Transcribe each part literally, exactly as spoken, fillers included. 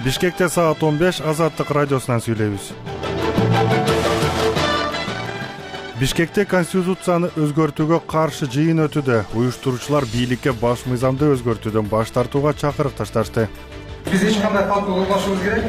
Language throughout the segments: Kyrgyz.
Бишкекте саат он беш Азаттык радиосунан сүйлөйбүз. Бишкекте конституцияны өзгөртүүгө каршы жыйын өтүүдө. Уюштуруучулар бийликке баш мыйзамды өзгөртүүдөн баш тартууга чакырык ташташты. Биз эч кандай талкууга кошулубуз керек.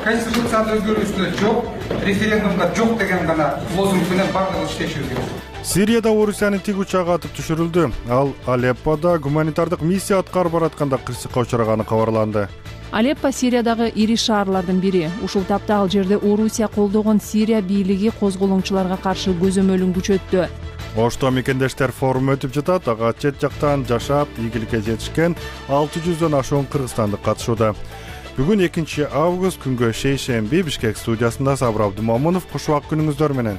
Конституцияны өзгөрүүсүнө жок, референдумга жок деген гана лозунг менен бардыгын иштешибиз керек. Сирияда Орусиянын тик учагы атып түшүрүлдү. Ал Алеппода гуманитардык миссия аткарып баратканда кырсыкка учураганы кабарланды. Алеппо Сириядагы ири шаарлардын бири. Ушул тапта ал жерде Орусия колдогон Сирия бийлиги козголоңчуларга каршы көзөмөлүн күчөттү. Ошто мекендештер форуму өтүп жатат. Ага чет жактан жашап, ийгиликке жетишкен алты жүздөн ашуун кыргызстандык катышууда. Бүгүн экинчи август күнгө шейшемби Бишкек студиясында Сабыр Абдымомунов. Куш убак күнүңүздөр менен.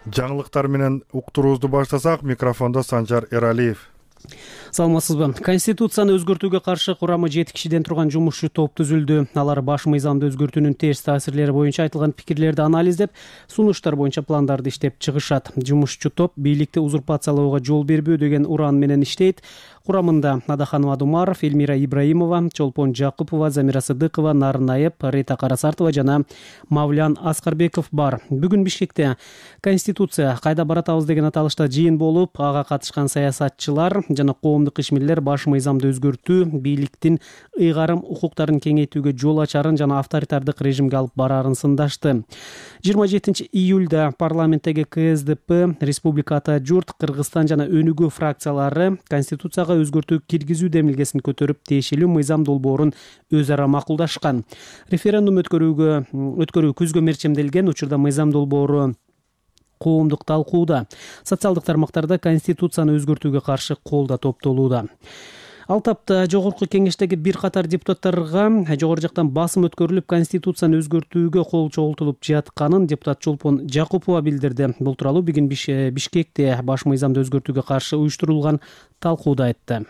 Жаңылыктар менен уктуруубузду баштасак, микрофондо Санжар Эралиев. Саламатсызбы? Конституцияны өзгөртүүгө каршы курамы жети кишиден турган жумушчу топ түзүлдү. Алар баш мыйзамды өзгөртүүнүн терс таасирлери боюнча айтылган пикирлерди анализдеп, сунуштар боюнча пландарды иштеп чыгышат. Жумушчу топ бийликти узурпациялоого жол бербөө деген уран менен иштейт. Курамында Надаханов Адумаров, Эльмира Ибраимова, Чолпон Жакупова, Замира Сыдыкова, Нарын Наеп, Рита Карасартова жана Мавлян Аскарбеков бар. Бүгүн Бишкекте Конституция кайда баратабыз деген аталышта жыйын болуп, ага катышкан саясатчылар жана коомдук ишмерлер баш мыйзамды өзгөртүү, бийликтин ыйгарым укуктарын кеңейтүүгө жол ачарын жана авторитардык режимге алып барарын сындашты. жыйырма жетинчи июлда парламенттеги КСДП, Республика Ата журт, Кыргызстан жана Өнүгүү фракциялары Конституцияга өзгөртүү киргизүү демилгесин көтөрүп, тиешелүү мыйзам долбоорун өз ара макулдашкан. Референдум өткөрүүгө өткөрүү күзгө мерчемделген. Учурда мыйзам долбоору коомдук талкууда. Социалдык тармактарда Конституцияны өзгөртүүгө каршы кол да топтолууда. Ал тапта жогорку кеңештеги бир катар депутаттарга жогору жактан басым өткөрүлүп, Конституцияны өзгөртүүгө кол чогултулуп жатканын депутат Чолпон Жакупова билдирди. Бул тууралуу бүгүн Бишкекте баш мыйзамды өзгөртүүгө каршы уюштурулган талкууда айтты.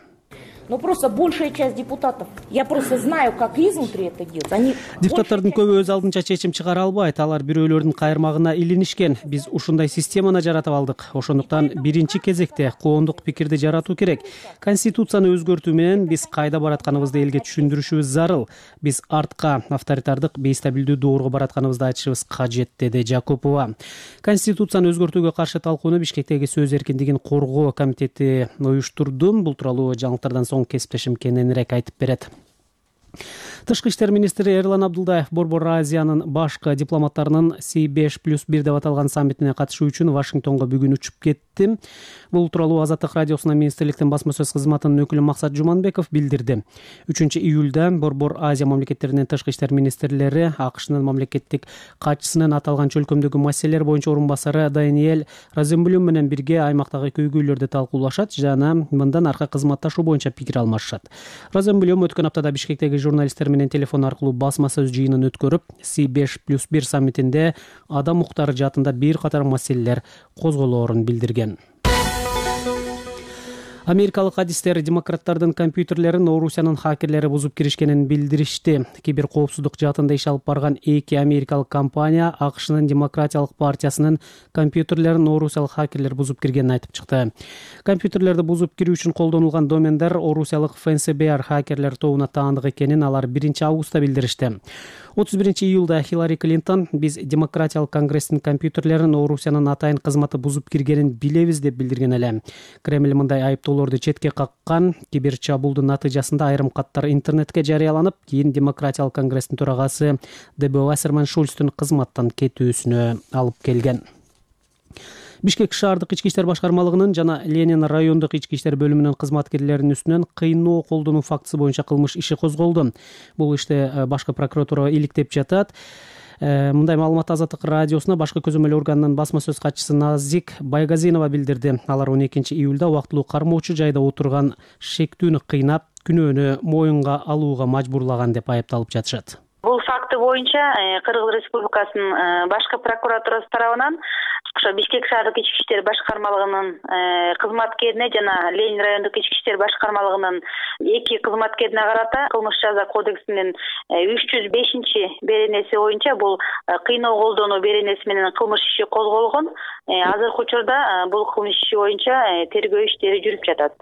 Но просто большая часть депутатов, я просто знаю, как изнутри это делать. Они Депутаттардын көбү өз алдынча чечим чыгара албайт. Алар бирөөлөрдүн кайырмагына илинишкен. Биз ушундай системаны жаратып алдык. Ошондуктан биринчи кезекте коомдук пикирди жаратуу керек. Конституцияны өзгөртүү менен биз кайда баратканыбызды элге түшүндүрүшүбүз зарыл. Биз артка авторитардык, бейстабилдүү доорго баратканыбызды айтышыбыз кажет, деди Жакупова. Конституцияны өзгөртүүгө каршы талкууну Бишкектеги сөз эркиндигин коргоо комитети уюштурду. Бул тууралуу жаңылыктардан соң кесиптешим кененирээк айтып берет. Тышкы иштер министри Эрлан Абдулдаев Борбор Азиянын башкы дипломаттарынын Си беш плюс бир деп аталган саммитине катышуу үчүн Вашингтонго бүгүн учуп кетти. Бул тууралуу Азаттык радиосуна министрликтин басма сөз кызматынын өкүлү Максат Жуманбеков билдирди. үчүнчү июлда Борбор Азия мамлекеттеринин тышкы иштер министрлери АКШнын мамлекеттик катчысынын аталган чөлкөмдөгү маселелер боюнча орун басары Даниэль Розенблюм менен бирге аймактагы көйгөйлөрдү талкуулашат жана мындан аркы кызматташуу боюнча пикир алмашышат. Розенблюм өткөн аптада Бишкектеги журналисттер менен телефон аркылуу басма сөз жыйынын өткөрүп, Си беш плюс бир саммитинде адам укуктары жаатында бир катар маселелер козголоорун билдирген. Америкалык адистер демократтардын компьютерлерин Орусиянын хакерлери бузуп киришкенин билдиришти. Киберкоопсуздук жаатында иш алып барган эки америкалык компания АКШнын Демократиялык партиясынын компьютерлерин орусиялык хакерлер бузуп киргенин айтып чыкты. Компьютерлерди бузуп кирүү үчүн колдонулган домендер орусиялык Фэнсибеар хакерлер тобуна таандык экенин алар биринчи августта билдиришти. отуз биринчи июлда Хиллари Клинтон биз Демократиялык конгресстин компьютерлерин Орусиянын атайын кызматы бузуп киргенин билебиз деп билдирген эле. Кремль мындай айыптоолорду четке каккан. Киберчабуулдун натыйжасында айрым каттар интернетке жарыяланып, кийин Демократиялык конгресстин төрагасы Д Б Вассерман Шульцтун кызматтан кетүүсүнө алып келген. Бишкек шаардык ички иштер башкармалыгынын жана Ленин райондук ички иштер бөлүмүнүн кызматкерлеринин үстүнөн кыйноо колдонуу фактысы боюнча кылмыш иши козголду. Бул ишти башкы прокуратура иликтеп жатат. Мындай маалыматты Азаттык радиосуна башкы көзөмөл органынын басма сөз катчысы Назик Байгазинова билдирди. Алар он экинчи июлда убактылуу кармоочу жайда отурган шектүүнү кыйнап, күнөөнү моюнга алууга мажбурлаган деп айыпталып жатышат. Бул факты боюнча Кыргыз Республикасынын башкы прокуратурасы тарабынан ошо Бишкек шаардык ички иштер башкармалыгынын кызматкерине жана Ленин райондук ички иштер башкармалыгынын эки кызматкерине карата кылмыш жаза кодексинин үч жүз бешинчи беренеси боюнча бул кыйноо колдонуу беренеси менен кылмыш иши козголгон. Азыркы учурда бул кылмыш иши боюнча тергөө иштери жүрүп жатат,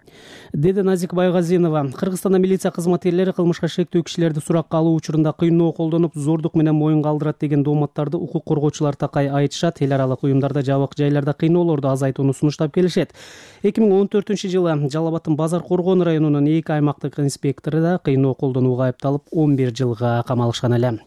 деди Назик Байгазинова. Кыргызстанда милиция кызматкерлери кылмышка шектүү кишилерди суракка алуу учурунда кыйноо колдонуп, зордук менен моюнга алдырат деген дооматтарды укук коргоочулар такай айтышат. Эл аралык уюмдарда жабык жайларда кыйноолорду азайтууну сунуштап келишет. эки миң он төртүнчү жылы Жалал Абадтын Базар Коргон районунун эки аймактык инспектору да кыйноо колдонууга айыпталып он бир жылга камалышкан эле.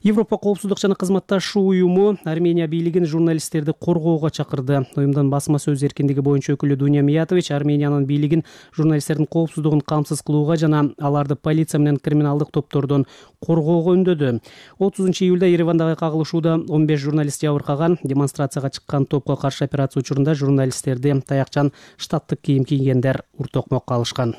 Европа коопсуздук жана кызматташуу уюму Армения бийлигин журналисттерди коргоого чакырды. Уюмдун басма сөз эркиндиги боюнча өкүлү Дуня Миятович Армениянын бийлигин журналисттердин коопсуздугун камсыз кылууга жана аларды полиция менен криминалдык топтордон коргоого үндөдү. отузунчу июлда Еревандагы кагылышууда он беш журналист жабыркаган. Демонстрацияга чыккан топко каршы операция учурунда журналисттерди таякчан штаттык кийим кийгендер уртокмокко алышкан.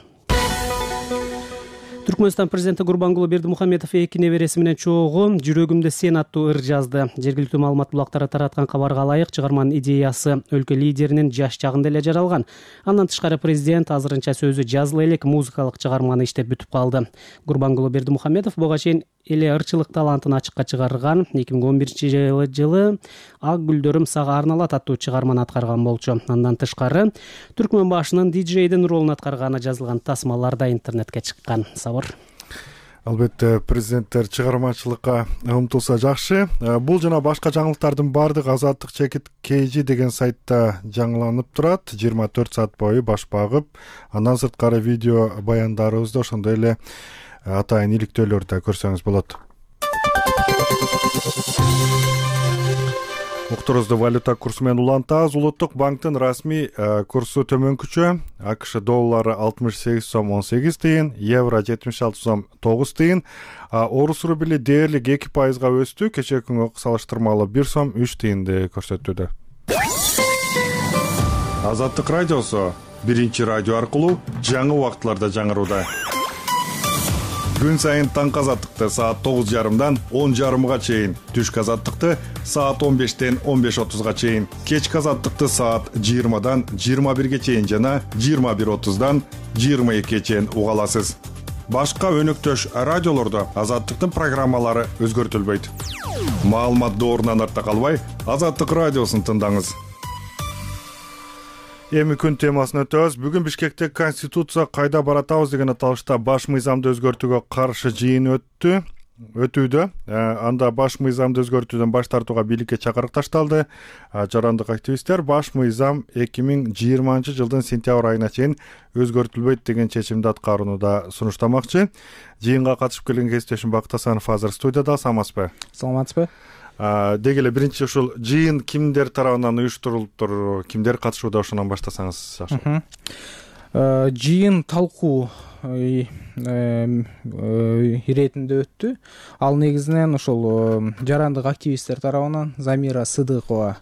Түркмөнстан президенти Гурбангулы Бердимухамедов эки небереси менен чогуу «Жүрөгүмдө сен» аттуу ыр жазды. Жергиликтүү маалымат булактары тараткан кабарга ылайык, чыгарманын идеясы өлкө лидеринин жаш чагында эле жаралган. Андан тышкары президент азырынча сөзү жазыла элек музыкалык чыгарманы иштеп бүтүп калды. Гурбангулы Бердимухамедов буга чейин эле ырчылык талантын ачыкка чыгарган. эки миң он биринчи жылы «Ак гүлдөрүм сага арналат» аттуу чыгарманы аткарган болчу. Андан тышкары түркмөн башынын диджейдин ролун аткарганы жазылган тасмалар да интернетке чыккан. Сабыр. Албетте, президенттер чыгармачылыкка умтулса жакшы. Бул жана башка жаңылыктардын баардыгы Азаттык чекит kg деген сайтта жаңыланып турат. жыйырма төрт саат бою баш багып, андан сырткары видео баяндарыбызды ошондой эле атайын иликтөөлөрдү көрсөңүз болот. Уктурузду валюта курсу менен улантабыз. Улуттук банктын расмий курсу төмөнкүчө. АКШ доллары алтымыш сегиз сом он сегиз тыйын, евро жетимиш алты сом тогуз тыйын, орус рубли дээрлик эки пайызга өстү. Кечээ күнгө салыштырмалуу бир сом үч тыйынды көрсөтүүдө. Азаттык радиосу биринчи радио аркылуу жаңы убактыларда жаңырууда. Күн сайын таңкы азаттыкты саат тогуз жарымдан он жарымга чейин, түшкү азаттыкты саат он бештен он беш отузга чейин, кечки азаттыкты саат жыйырмадан жыйырма бирге чейин жана жыйырма бир отуздан жыйырма экиге чейин уга аласыз. Башка өнөктөш радиолордо азаттыктын программалары өзгөртүлбөйт. Маалымат доорунан артта калбай, Азаттык радиосун тыңдаңыз. Эми күн темасын өтөбүз. Бүгүн Бишкекте Конституция кайда баратабыз деген аталышта баш мыйзамды өзгөртүүгө каршы жыйын өттү. Өтүүдө. Анда баш мыйзамды өзгөртүүдөн баш тартууга бийликке чакырык ташталды. Жарандык активисттер баш мыйзам эки миң жыйырманчы жылдын сентябрь айына чейин өзгөртүлбөйт деген чечимди аткарууну да сунуштамакчы. Жыйынга катышып келген кесиптешим Бакыт Асанов азыр студияда. Саламатсызбы? Саламатсызбы? Деги эле биринчи ушул жыйын кимдер тарабынан уюштурулуптур, кимдер катышууда, ошондон баштасаңыз жакшы. Жыйын талкуу иретинде өттү. Ал негизинен ошол жарандык активисттер тарабынан Замира Сыдыкова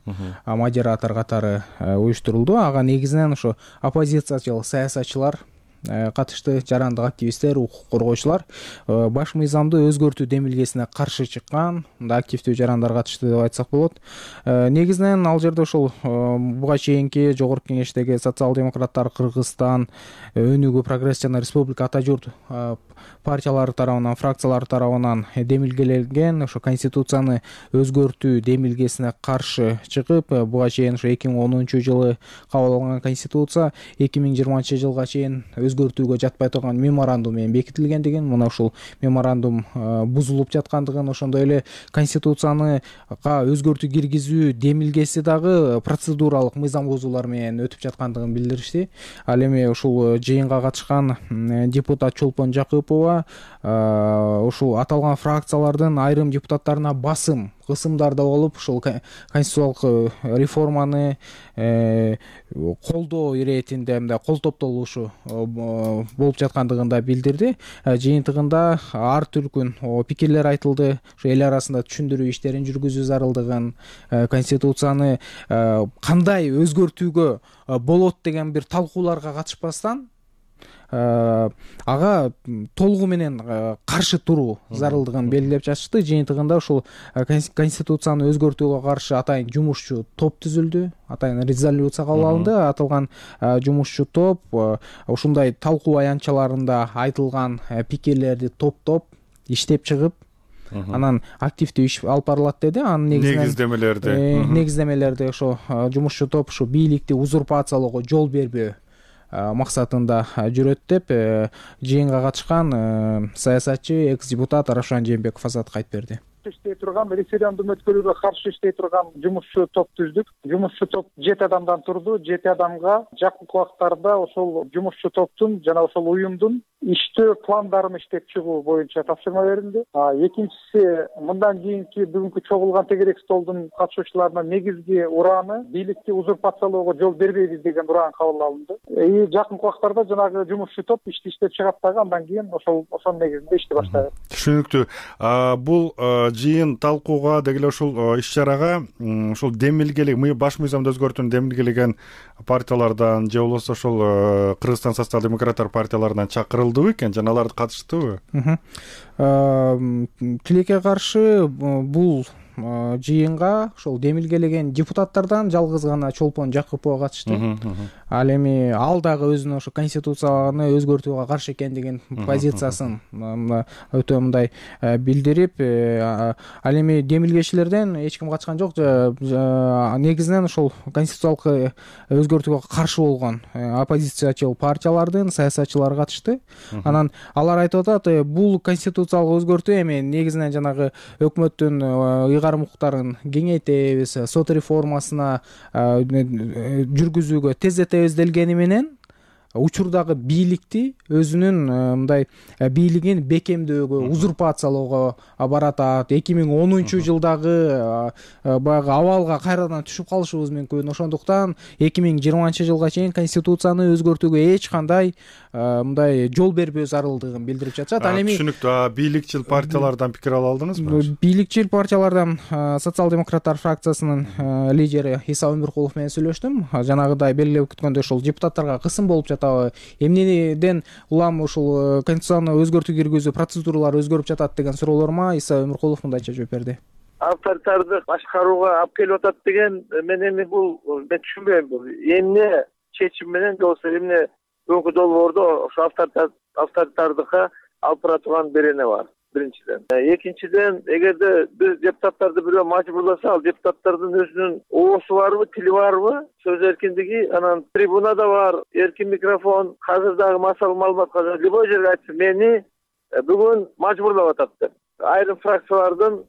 модератор катары уюштурулду. Ага негизинен ошо оппозициячыл саясатчылар катышты, жарандык активисттер, укук коргоочулар баш мыйзамды өзгөртүү демилгесине каршы чыккан, мында активдүү жарандар катышты деп айтсак болот. Негизинен ал жерде ошол буга чейинки жогорку кеңештеги социал-демократтар, Кыргызстан, Өнүгүү, Прогресс жана Республика Ата журт партиялары тарабынан, фракциялары тарабынан демилгеленген ошо Конституцияны өзгөртүү демилгесине каршы чыгып, буга чейин ошо эки миң онунчу жылы кабыл алынган Конституция эки миң жыйырманчы жылга чейин өзгөртүүгө жатпай турган меморандум менен бекитилгендигин, мына ушул меморандум бузулуп жаткандыгын, ошондой эле Конституцияны өзгөртүү киргизүү демилгеси дагы процедуралык мыйзам бузуулар менен өтүп жаткандыгын билдиришти. Ал эми ушул жыйынга катышкан депутат Чолпон Жакыпова ушул аталган фракциялардын айрым депутаттарына басым кысымдарда болуп, ушул конституциялык реформаны колдоо иретинде мындай кол топтолушу болуп жаткандыгын да билдирди. Жыйынтыгында ар түркүн пикирлер айтылды. Ошо эл арасында түшүндүрүү иштерин жүргүзүү зарылдыгын, Конституцияны кандай өзгөртүүгө болот деген бир талкууларга катышпастан ага толугу менен каршы туруу зарылдыгын белгилеп жатышты. Жыйынтыгында ушул конституцияны өзгөртүүгө каршы атайын жумушчу топ түзүлдү, атайын резолюция кабыл алынды. Аталган жумушчу топ ушундай талкуу аянтчаларында айтылган пикирлерди топтоп иштеп чыгып, анан активдүү иш алып барылат деди. Анын негизинен негиздемелерди негиздемелерди ошо жумушчу топ ушу бийликти узурпациялоого жол бербөө максатында жүрөт деп жыйынга катышкан саясатчы экс депутат Равшан Жээнбеков Азаттыкка айтып берди. Иштей турган референдум өткөрүүгө каршы иштей турган жумушчу топ түздүк. Жумушчу топ жети адамдан турду. жети адамга жакынкы убактарда ошол жумушчу топтун жана ошол уюмдун иштөө пландарын иштеп чыгуу боюнча тапшырма берилди. Экинчиси, мындан кийинки бүгүнкү чогулган тегерек столдун катышуучуларына негизги урааны бийликти узурпациялоого жол бербейбиз деген ураан кабыл алынды. И жакынкы убактарда жанагы жумушчу топ ишти иштеп чыгат дагы, андан кийин ошол ошонун негизинде ишти баштайбыз. Түшүнүктүү. Бул жыйын талкууга деги эле ушул иш-чарага ушул демилгелик баш мыйзамды өзгөртүүнү демилгелеген партиялардан же болбосо ошол Кыргызстан социал-демократтар партияларынан чакырылдыбы экен, жана алар катыштыбы? Тилекке каршы бул жыйынга ошол демилгелеген депутаттардан жалгыз гана Чолпон Жакыпова катышты. Ал эми ал дагы өзүнүн ошо конституцияны өзгөртүүгө каршы экендигин позициясын өтө мындай билдирип, ал эми демилгечилерден эч ким катышкан жок. Негизинен ошол конституциялык өзгөртүүгө каршы болгон оппозициячыл партиялардын саясатчылары катышты. Анан алар айтып атат, бул конституциялык өзгөртүү эми негизинен жанагы өкмөттүн ыйгарым укуктарын кеңейтебиз, сот реформасына жүргүзүүгө тездетебиз делгени менен учурдагы бийликти өзүнүн мындай бийлигин бекемдөөгө, узурпациялоого баратат. эки миң онунчу жылдагы баягы абалга кайрадан түшүп калышыбыз мүмкүн. Ошондуктан эки миң жыйырманчы жылга чейин конституцияны өзгөртүүгө эч кандай мындай жол бербөө зарылдыгын билдирип жатышат. Ал эми түшүнүктүү. Бийликчил партиялардан пикир ала алдыңызбы? Бийликчил партиялардан социал-демократтар фракциясынын лидери Иса Өмүркулов менен сүйлөштүм. Жанагыдай белгилеп күткөндөй ошол депутаттарга кысым болуп жатат. Эмнеден улам ушул конституцияны өзгөртүү киргизүү процедуралары өзгөрүп жатат деген суроолорума Иса Өмүркулов мындайча жооп берди. Авторитардык башкарууга алып келип атат деген мен эми бул мен түшүнбөйм. Бул эмне чечим менен же болбосо эмне бүгүнкү долбоордо ошо авторитардыкка алып бара турган берене бар. Биринчиден. Экинчиден, эгерде биз депутаттарды бирөө мажбурласа, ал депутаттардын өзүнүн оосу барбы, тили барбы, сөз эркиндиги, анан трибунада бар, эркин микрофон, азыр дагы массалык маалыматка любой жерге айтса, мени бүгүн мажбурлап атат деп. Айрым фракциялардын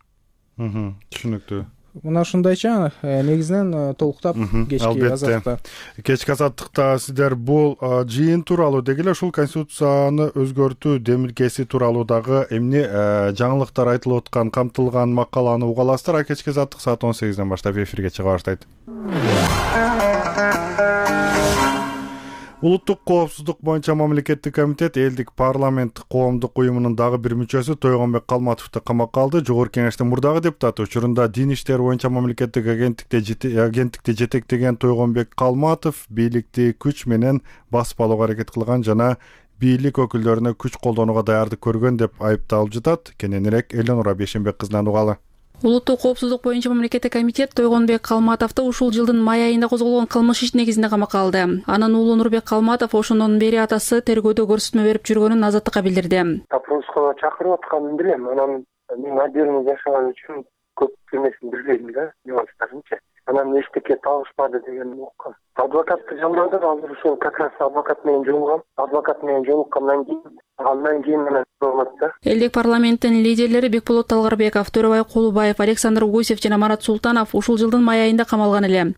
түшүнүктүү. Мына ушундайча негизинен толуктап кечки азаттыкта. Кечки азаттыкта сиздер бул жыйын тууралуу деги эле ушул конституцияны өзгөртүү демилгеси тууралуу дагы эмне жаңылыктар айтылып аткан, камтылган макаланы уга аласыздар. Кечки азаттык саат он сегизден баштап эфирге чыга баштайт. Улуттук коопсуздук боюнча мамлекеттик комитет элдик парламенттик коомдук уюмунун дагы бир мүчөсү Тойгонбек Калматовду камакка алды. Жогорку Кеңештин мурдагы депутаты, учурунда дин иштери боюнча мамлекеттик агенттикте агенттикти жетектеген Тойгонбек Калматов бийликти күч менен басып алууга аракет кылган жана бийлик өкүлдөрүнө күч колдонууга даярдык көргөн деп айыпталып жатат. Кененирээк Элеонора Бейшенбек кызынан угалы. Улуттук коопсуздук боюнча мамлекеттик комитет Тойгонбек Калматовду ушул жылдын май айында козголгон кылмыш иши негизинде камакка алды. Анын уулу Нурбек Калматов ошондон бери атасы тергөөдө көрсөтмө берип жүргөнүн Азаттыкка билдирди. Опроско чакырып атканын билем, анан мен отдельно жашаган үчүн көп эмесин билбейм да, нюанстарынчы. Анан эчтеке табышпады деген уккам. Адвокатты жалдадык, азыр ушул как раз адвокат менен жолугам. Адвокат менен жолуккандан кийин андан кийин мына болот да. Элдик парламенттин лидерлери Бекболот Талгарбеков, Төрөбай Кулубаев, Александр Гусев жана Марат Султанов ушул жылдын май айында камалган эле.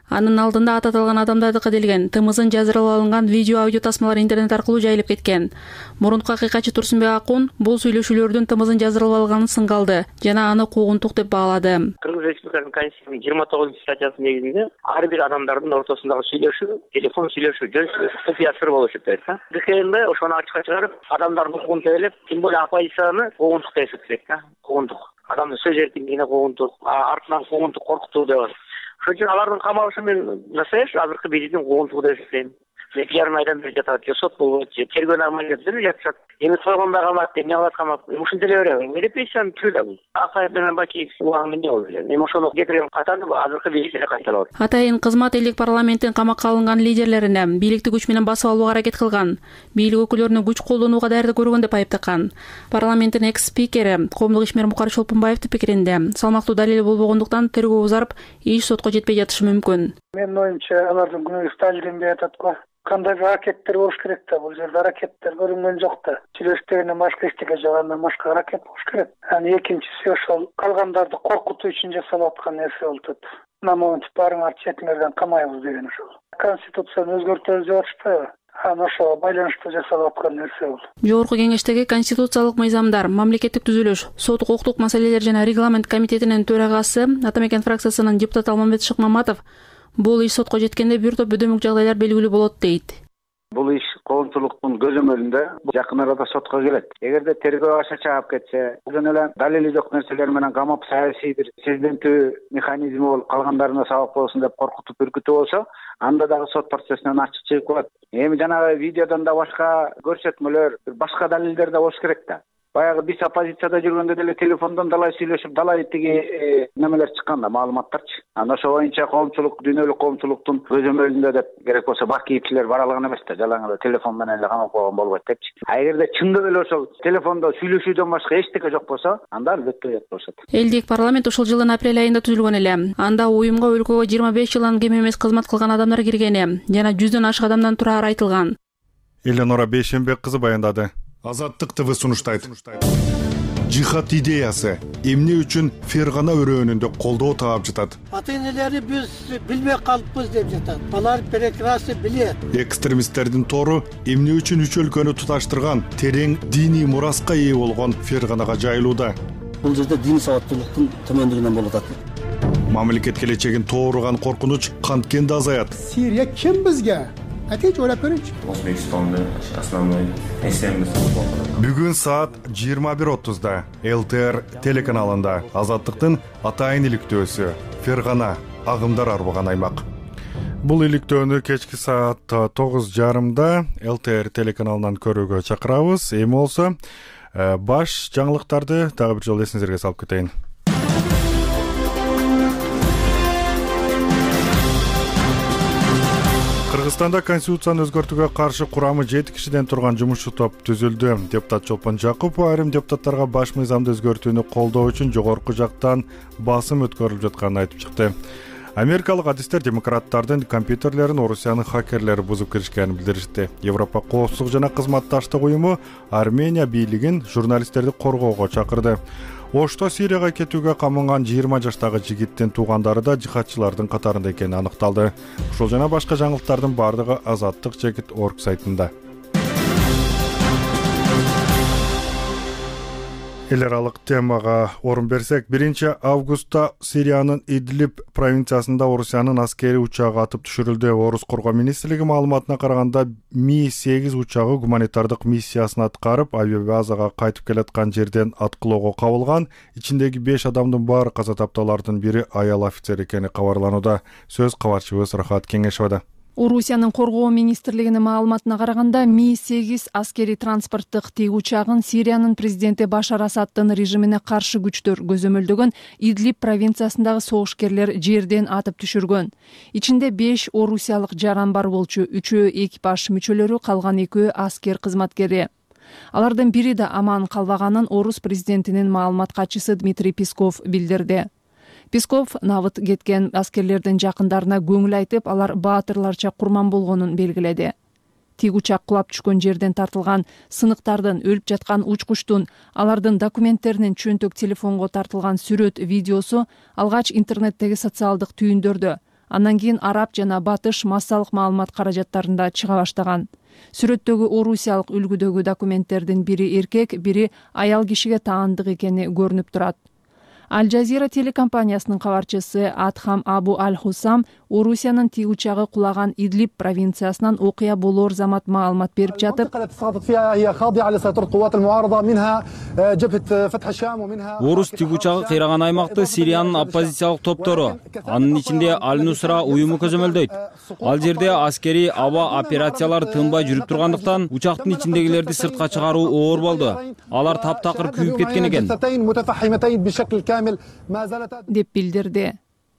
Анын алдында аты аталган адамдардыкы делген тымызын жазыралып алынган видео аудио тасмалар интернет аркылуу жайылып кеткен. Мурунку акыйкатчы Турсунбек Акун бул сүйлөшүүлөрдүн тымызын жазыралып алганын сынга алды жана аны куугунтук деп баалады. Кыргыз Республикасынын Конституциясынын жыйырма тогузунчу статьясынын негизинде ар бир адамдардын ортосундагы сүйлөшүү, телефон сүйлөшүү, жөн сүйлөшүү купуя сыр болушу дейт да. ГКНде ошону ачыкка чыгарып, адамдарды куугунтук элеп, тем более оппозицияны куугунтук деп эсептейт да. Куугунтук. Адамдын сөз эркиндигине куугунтук, артынан куугунтук коркутуу деп. Ошон үчүн алардын камалышы мен настоящий азыркы бийликтин куугунтугу деп эсептейм. эки жарым айдан бери жатат, же сот болбойт, же тергөө нормалдуу жатышат. Эми тойгонбай калмак деп, эмне кылат калмак, ушинтип эле беребиз. Репрессиянын түрү да бул. Акаев менен Бакиев убагы эмне болду эле. Эми ошону кетирген катарды азыркы бийлик эле кайталап атат. Атайын кызмат элдик парламенттин камакка алынган лидерлерине бийликти күч менен басып алууга аракет кылган, бийлик өкүлдөрүнө күч колдонууга даярдык көргөн деп айыптаган. Парламенттин экс-спикери Коомдук ишмер Мукар Чолпунбаевдин пикиринде салмактуу далил болбогондуктан тергөө узарып, иш сотко жетпей жатышы мүмкүн. Менин оюмча алардын күнөө сталиндей атат го. Кандай аракеттер болуш керек да, бул жерде аракеттер көрүнгөн жок да. Сүйлөштөрүнөн башка эчтеке жагынан башка аракет болуш керек. Аны экинчиси ошол калгандарды коркутуу үчүн жасалып аткан нерсе болуп атат. Намонтип барыңар четиңерден камайбыз деген ошол. Конституцияны өзгөртөбүз деп атышпайбы? Аны ошого байланыштуу жасалып аткан нерсе бул. Жогорку кеңештеги конституциялык мыйзамдар, мамлекеттик түзүлүш, сот укуктук маселелер жана регламент комитетинин төрагасы Ата Мекен фракциясынын депутаты Алмамбет Шыкмаматов бул иш сотко жеткенде бир топ бөдөмөк жагдайлар белгилүү болот дейт. Бул иш коомчулуктун көзөмөлүндө жакын арада сотко келет. Эгерде тергөө аша чаап кетсе, жөн эле далили жок нерселер менен камап саясий бир сездиртүү механизми болуп калгандарына сабак болсун деп коркутуп үркүтүү болсо, анда дагы сот процессинен ачык чыгып калат. Эми жанагы видеодон да башка көрсөтмөлөр, башка далилдер да болуш керек да. Баягы биз оппозицияда жүргөндө деле телефондон далай сүйлөшүп, далай тиги немелер чыккан да, маалыматтарчы. Анан ошо боюнча коомчулук, дүйнөлүк коомчулуктун көзөмөлүндө деп керек болсо Бакиевчилер бара алган эмес да, жалаң эле телефон менен эле камап койгон болбойт депчи. А эгерде чындап эле ошол телефондо сүйлөшүүдөн башка эчтеке жок болсо, анда албетте уят болушат. Элдик парламент ушул жылдын апрель айында түзүлгөн эле. Анда уюмга өлкөгө жыйырма беш жылдан кем эмес кызмат кылган адамдар киргени жана жүздөн ашык адамдан турары айтылган. Эленора Бейшенбек кызы баяндады. Азаттык ТВ сунуштайт. Жихад идеясы эмне үчүн Фергана өрөөнүндө колдоо таап жатат? Ата-энелери биз билбей калыппыз деп жатат. Алар прекрасно билет. Экстремисттердин тору эмне үчүн үч өлкөнү туташтырган терең диний мураска ээ болгон Ферганага жайылууда? Бул жерде диний сабаттуулуктун төмөндүгүнөн болуп атат. Мамлекет келечегин тооруган коркунуч канткенде азаят. Сирия ким бизге? Атеч ойлап көрүнчү. Өзбекстандын основной эсемиз. Бүгүн саат жыйырма бир отузда эл тэ эр телеканалында Азаттыктын атайын иликтөөсү Фергана агымдар арбаган аймак. Бул иликтөөнү кечки саат тогуз жарымда эл тэ эр телеканалынан көрүүгө чакырабыз. Эми болсо баш жаңылыктарды дагы бир жолу эсиңизерге салып кетейин. Кыргызстанда конституцияны өзгөртүүгө каршы курамы жети кишиден турган жумушчу топ түзүлдү. Депутат Чолпон Жакупов айрым депутаттарга баш мыйзамды өзгөртүүнү колдоо үчүн жогорку жактан басым өткөрүлүп жатканын айтып чыкты. Америкалык адистер демократтардын компьютерлерин Орусиянын хакерлери бузуп киришкенин билдиришти. Европа коопсуздук жана кызматташтык уюму Армения бийлигин журналисттерди коргоого чакырды. Ошто Сирияга кетүүгө камынган жыйырма жаштагы жигиттин туугандары да жихадчылардын катарында экени аныкталды. Ушул жана башка жаңылыктардын бардыгы Азаттык чекит точка орг сайтында. Эл аралык темага орун берсек, биринчи августта Сириянын Идлиб провинциясында Орусиянын аскери учагы атып түшүрүлдү. Орус коргоо министрлиги маалыматына караганда Ми сегиз учагы гуманитардык миссиясын аткарып, авиабазага кайтып келаткан жерден аткылоого кабылган. Ичиндеги беш адамдын баары каза тапты, алардын бири аял офицер экени кабарланууда. Сөз кабарчыбыз Рахат Кеңешовада. Орусиянын коргоо министрлигинин маалыматына караганда Ми сегиз аскери транспорттук тик учагын Сириянын президенти Башар Асаддын режимине каршы күчтөр көзөмөлдөгөн Идлиб провинциясындагы согушкерлер жерден атып түшүргөн. Ичинде беш орусиялык жаран бар болчу, үчөө экипаж мүчөлөрү, калган экөө аскер кызматкери. Алардын бири да аман калбаганын орус президентинин маалымат катчысы Дмитрий Песков билдирди. Песков набыт кеткен аскерлердин жакындарына көңүл айтып, алар баатырларча курман болгонун белгиледи. Тик учак кулап түшкөн жерден тартылган сыныктардын, өлүп жаткан учкучтун, алардын документтеринин чөнтөк телефонго тартылган сүрөт видеосу алгач интернеттеги социалдык түйүндөрдө, андан кийин араб жана батыш массалык маалымат каражаттарында чыга баштаган. Сүрөттөгү орусиялык үлгүдөгү документтердин бири эркек, бири аял кишиге таандык экени көрүнүп турат. Аль Жазира телекомпаниясынын кабарчысы Адхам Абу Аль-Хусам Орусиянын тиг учагы кулаган Идлиб провинциясынан окуя болоор замат маалымат берип жатып, Орус тиг учагы кыйраган аймакты Сириянын оппозициялык топтору, анын ичинде Аль-Нусра уюму көзөмөлдөйт. Ал жерде аскерий аба операциялары тынбай жүрүп тургандыктан учактын ичиндегилерди сыртка чыгаруу оор болду. Алар таптакыр күйүп кеткен экен, деп билдирди.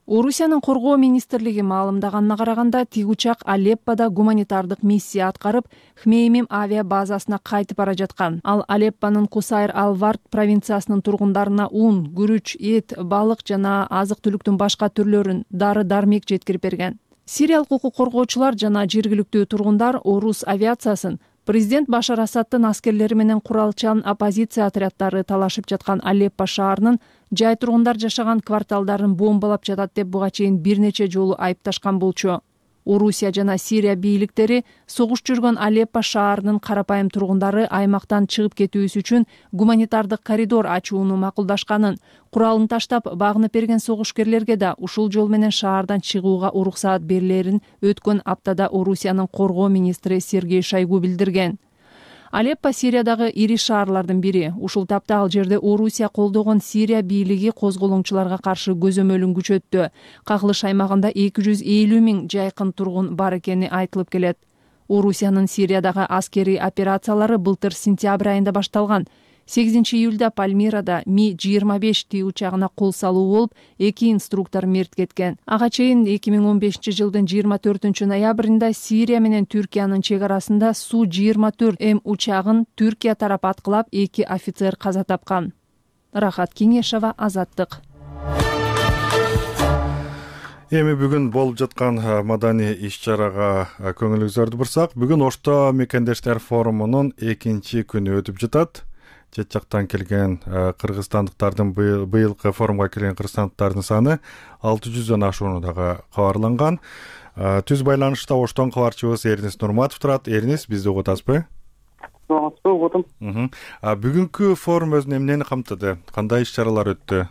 Орусиянын коргоо министрлиги маалымдаганына караганда, тиг учак Алеппода гуманитардык миссия аткарып, Хмеймим авиа базасына кайтып бара жаткан. Ал Алеппонун Кусайр Алвард провинциясынын тургундарына ун, күрүч, эт, балык жана азык-түлүктүн башка түрлөрүн, дары-дармек жеткирип берген. Сириялык укук коргоочулар жана жергиликтүү тургундар орус авиациясын президент Башар Асадтын аскерлери менен куралчан оппозиция отряддары талашып жаткан Алеппо шаарынын жай тургундар жашаган кварталдарын бомбалап жатат деп буга чейин бир нече жолу айыпташкан болчу. Орусия жана Сирия бийликтери согуш жүргөн Алеппо шаарынын карапайым тургундары аймактан чыгып кетүүсү үчүн гуманитардык коридор ачууну макулдашканын, куралын таштап багынып берген согушкерлерге да ушул жол менен шаардан чыгууга уруксаат берилерин өткөн аптада Орусиянын коргоо министри Сергей Шойгу билдирген. Алеппо Сириядагы ири шаарлардын бири. Ушул тапта ал жерде Орусия колдогон Сирия бийлиги козголоңчуларга каршы көзөмөлүн күчөттү. Кагылыш аймагында эки жүз элүү миң жайкын тургун бар экени айтылып келет. Орусиянын Сириядагы аскерий операциялары былтыр сентябрь айында башталган. сегизинчи июлда Пальмирада Ми жыйырма беш тиг учагына кол салуу болуп, эки инструктор мерт кеткен. Ага чейин эки миң он бешинчи жылдын жыйырма төртүнчү ноябрында Сирия менен Түркиянын чек арасында Су жыйырма төрт М учагын Түркия тарап аткылап, эки офицер каза тапкан. Рахат Кеңешова, Азаттык. Эми бүгүн болуп жаткан маданий иш-чарага көңүлүңүздөрдү бурсак, бүгүн Ошто мекендештер форумунун экинчи күнү өтүп жатат. Чет жактан келген кыргызстандыктардын быйылкы форумга келген кыргызстандыктардын саны алты жүздөн ашууну дагы кабарланган. Түз байланышта Оштон кабарчыбыз Эрнис Нурматов турат. Эрнис, бизди угуп атасызбы? Саламатсызбы, угуп атам. Бүгүнкү форум өзү эмнени камтыды? Кандай иш-чаралар өттү?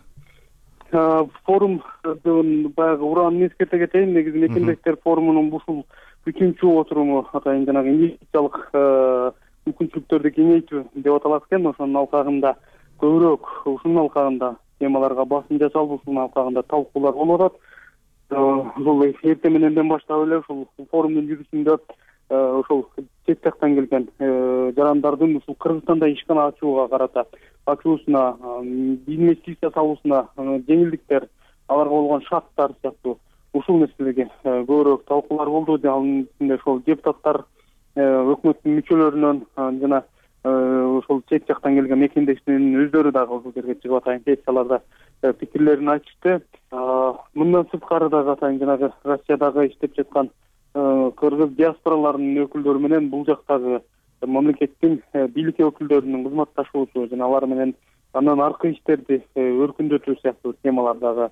Форум баягы ураанын эскерте кетейин. Негизи мекендештер форумунун ушул үчүнчү отуруму атайын жанагы инвестициялык мүмкүнчүлүктөрдү кеңейтүү деп аталат экен. Ошонун алкагында көбүрөөк ушунун алкагында темаларга басым жасалып, ушунун алкагында талкуулар болуп атат. Ушул эртең мененден баштап эле ушул форумдун жүрүшүндө ошол чет жактан келген жарандардын ушул Кыргызстанда ишкана ачууга карата ачуусуна, инвестиция салуусуна жеңилдиктер, аларга болгон шарттар сыяктуу ушул нерселерге көбүрөөк талкуулар болду. Анын ичинде ошол депутаттар өкмөттүн мүчөлөрүнөн жана ошол чет жактан келген мекендештин өздөрү дагы ушул жерге чыгып атайын сессияларда пикирлерин айтышты. Мындан сырткары дагы атайын жанагы Россиядагы иштеп жаткан кыргыз диаспораларынын өкүлдөрү менен бул жактагы мамлекеттин бийлик өкүлдөрүнүн кызматташуусу жана алар менен андан аркы иштерди өркүндөтүү сыяктуу темалар дагы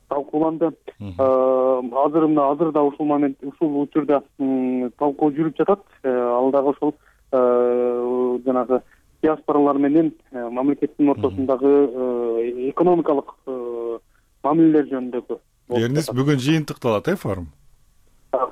талкууланды. Азыр мына азыр да ушул момент ушул учурда талкуу жүрүп жатат. Ал дагы ошол жанагы диаспоралар менен мамлекеттин ортосундагы экономикалык мамилелер жөнүндөгү. Эрнис, бүгүн жыйынтыкталат э форум?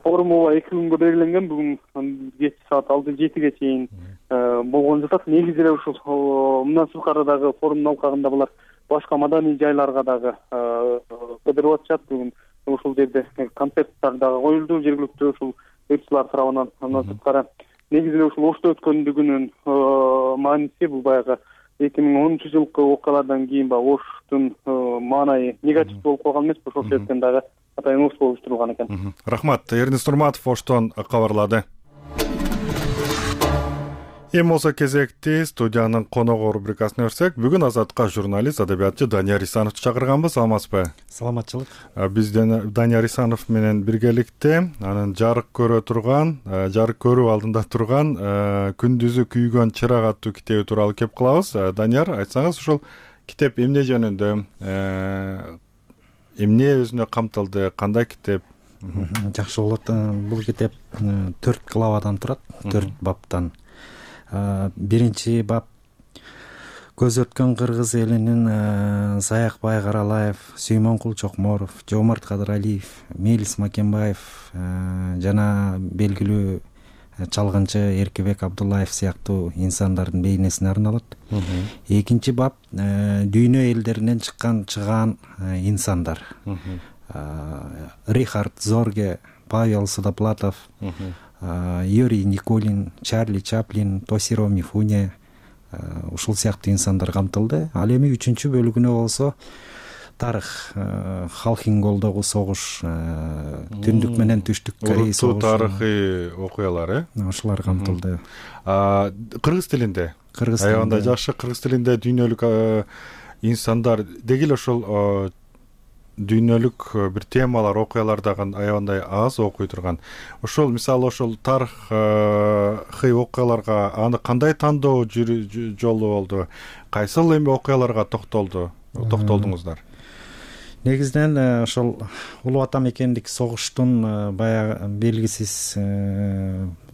Форум эки күнгө белгиленген. Бүгүн кечки саат алты жетиге чейин болгон жатат. Негизи эле ушул мындан сырткары дагы форумдун алкагында булар башка маданий жайларга дагы көтөрүп атышат. Бүгүн ушул жерде концерттер дагы коюлду жергиликтүү ушул ырчылар тарабынан. Андан сырткары негизи эле ушул Ошто өткөндүгүнүн мааниси бул баягы эки миң онунчу жылкы окуялардан кийин баягы Оштун маанайы негатив болуп калган эмеспи? Ошол себептен дагы атайын Ошто уюштурулган экен. Рахмат. Эрнис Нурматов Оштон кабарлады. Эми болсо кезекти студиянын коногу рубрикасына өрсөк, бүгүн Азатка журналист, адабиятчы Данияр Исановду чакырганбыз. Саламатсызбы? Саламатчылык. Бизден Данияр Исанов менен биргеликте анын жарык көрө турган, жарык көрүү алдында турган Күндүзү күйгөн чырак аттуу китеби тууралуу кеп кылабыз. Данияр, айтсаңыз, ушул китеп эмне жөнүндө, эмне өзүнө камтылды, кандай китеп? Жакшы болот. Бул китеп төрт главадан турат, төрт баптан. Биринчи бап көз өткөн кыргыз элинин Заякбай Каралаев, Сүймөнкул Чокморов, Жомарт Кадыралиев, Мелис Макенбаев жана белгилүү чалгынчы Эркебек Абдуллаев сыяктуу инсандардын бейнесине арналат. Экинчи бап дүйнө элдеринен чыккан чыгаан инсандар. Рихард Зорге, Павел Судоплатов, Юрий Никулин, Чарли Чаплин, Тосиро Мифуне, ушул сыяктуу инсандар камтылды. Ал эми үчүнчү бөлүгүнө болсо тарых, Халхинголдогу согуш, түндүк менен түштүк Корей согушу, тарыхый окуялар, э? Ошолар камтылды. Кыргыз тилинде, аябандай жакшы кыргыз тилинде дүйнөлүк инсандар деги эле ошол дүйнөлүк бир темалар, окуялар дагы аябандай аз окуй турган. Ошол мисалы ошол тарыхый окуяларга аны кандай тандоо жолу болду? Кайсыл эми окуяларга токтолду? Токтолдуңуздар? Негизинен ошол Улуу Ата мекендик согуштун баягы белгисиз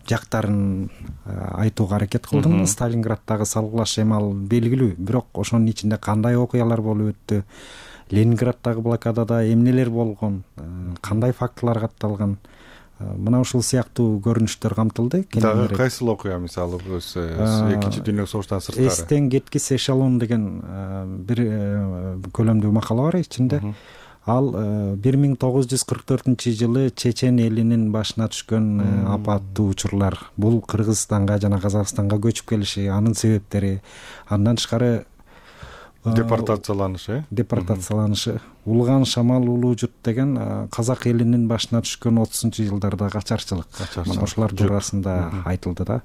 жактарын айтууга аракет кылдым. Сталинграддагы салгылаш эми ал белгилүү, бирок ошонун ичинде кандай окуялар болуп өттү? Ленинграддагы блокадада эмнелер болгон? Кандай фактылар катталган? Мына ушул сыяктуу көрүнүштөр камтылды. Дагы кайсыл окуя мисалы экинчи дүйнөлүк согуштан сырткары? Эстен кеткис эшелон деген бир көлөмдүү макала бар ичинде. Ал бир миң тогуз жүз кырк төртүнчү жылы Чечен элинин башына түшкөн апаттуу учурлар, бул Кыргызстанга жана Казакстанга көчүп келиши, анын себептери, андан тышкары депортацияланышы, депортацияланышы, Улган Шамал улуу журт деген казак элинин башына түшкөн отузунчу жылдарда качарчылык. Мына ошолар туурасында айтылды да.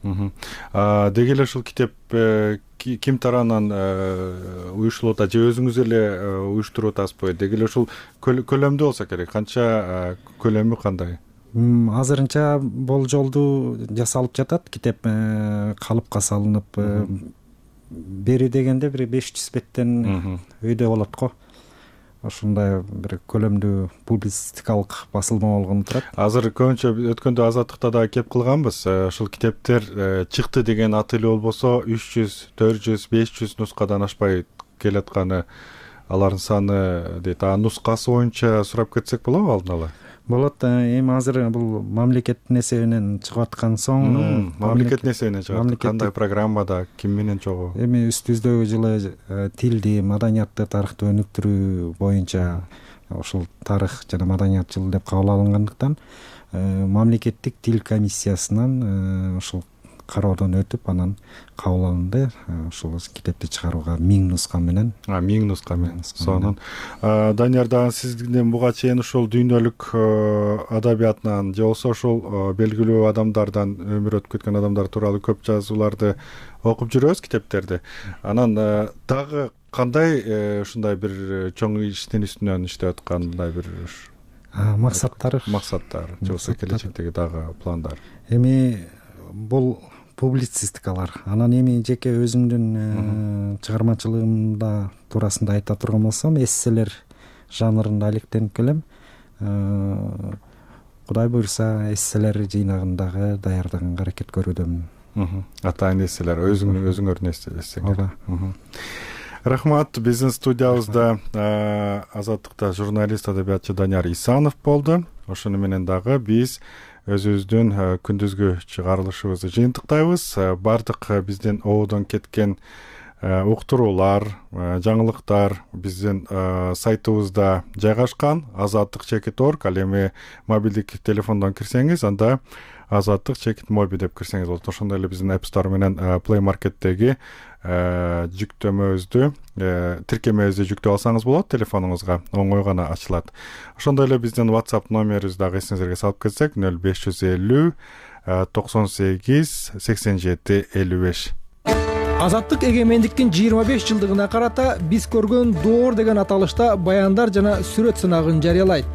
Деги эле ушул китеп ким тарабынан уюштурулуп атат же өзүңүз эле уюштуруп атасызбы? Деги эле ушул көлөмдүү болсо керек. Канча көлөмү кандай? Азырынча болжолду жасалып жатат. Китеп калыпка салынып, бери дегенде бир беш жүз беттен өйдө болот го. Ошондой бир көлөмдүү публицистикалык басылма болгону турат. Азыр көбүнчө өткөндө Азаттыкта да кеп кылганбыз. Ушул китептер чыкты деген аты эле болбосо үч жүз, төрт жүз, беш жүз нускадан ашпай келатканы, алардын саны дейт. А нускасы боюнча сурап кетсек болобу алдын ала? Болот. Эми азыр бул мамлекеттин эсебинен чыгып аткан соң, мамлекеттин эсебинен чыгат. Кандай программада, ким менен чогуу? Эми үстүбүздөгү жылы тилди, маданиятты, тарыхты өнүктүрүү боюнча ошол тарых жана маданият жылы деп кабыл алынгандыктан мамлекеттик тил комиссиясынан ошол кароодон өтүп, анан кабыл алынды. Ушул китепти чыгарууга миң нуска менен. А, миң нуска менен. Сонун. Данияр, дагы сизден буга чейин ушул дүйнөлүк адабиятынан же болбосо ушул белгилүү адамдардан, өмүр өтүп кеткен адамдар тууралуу көп жазууларды окуп жүрөбүз, китептерди. Анан дагы кандай ушундай бир чоң иштин үстүнөн иштеп аткандай бир максаттар, максаттар, же болбосо келечектеги дагы пландар? Эми бул публицистикалар. Анан эми жеке өзүмдүн чыгармачылыгымда туурасында айта турган болсом, эсселер жанрында алектенип келем. Кудай буйрса, эсселер жыйнагындагы даярдаганга аракет көрүүдөмүн. Атайын эсселер, өзүңөрдүн эссеңер. Рахмат. Биздин студиябызда Азаттыкта журналист, адабиятчы Данияр Исанов болду. Ошону менен дагы биз өзүбүздүн күндүзгү чыгарылышыбызды жыйынтыктайбыз. Бардык биздин оодон кеткен уктуруулар, жаңылыктар биздин сайтыбызда жайгашкан азаттык чекит орг. Ал эми мобилдик телефондон кирсеңиз, анда азаттык чекит моби деп кирсеңиз болот. Ошондой эле биздин App Store менен Play Market'теги жүктөмөбүздү, тиркемебизди жүктөп алсаңыз болот, телефонуңузга оңой гана ачылат. Ошондой эле биздин WhatsApp номерибизди дагы эсиңизге салып кетсек, нөл беш жүз элүү токсон сегиз сексен жети элүү беш. Азаттык эгемендиктин жыйырма беш жылдыгына карата биз көргөн доор деген аталышта баяндар жана сүрөт сынагын жарыялайт.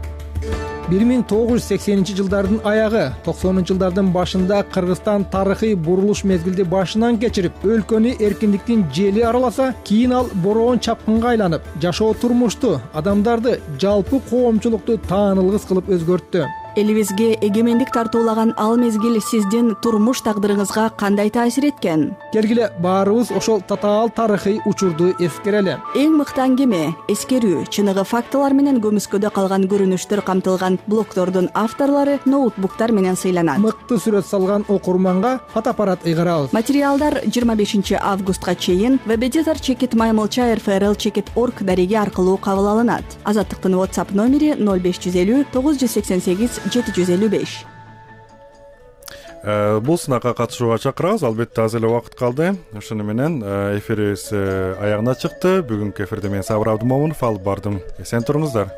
бир миң тогуз жүз сексенинчи жылдардын аягы, токсонунчу жылдардын башында Кыргызстан тарыхый бурулуш мезгилди башынан кечирип, өлкөнү эркиндиктин жели араласа, кийин ал бороон чапкынга айланып, жашоо турмушту, адамдарды, жалпы коомчулукту таанылгыс кылып өзгөрттү. элибизге эгемендик тартуулаган ал мезгил сиздин турмуш тагдырыңызга кандай таасир эткен? келгиле баарыбыз ошол татаал тарыхый учурду эскерели. Эң мыкты аңгеме, эскерүү, чыныгы фактылар менен көмүскөдө калган көрүнүштөр камтылган блогтордун авторлору ноутбуктар менен сыйланат. Мыкты сүрөт салган окурманга фотоаппарат ыйгарабыз. Материалдар жыйырма бешинчи августка чейин веб-эдитор чекит маймылча эр эф эр эл чекит точка орг дареги аркылуу кабыл алынат. Азаттыктын WhatsApp номери ноль беш жүз элүү тогуз жүз сексен сегиз жети жүз элүү беш. Бул сынакка катышууга чакырабыз. Албетте аз эле убакыт калды. Ошону менен эфирибиз аягына чыкты. Бүгүнкү эфирде мен Сабыр Абдымомунов алып бардым. Эсен туруңуздар.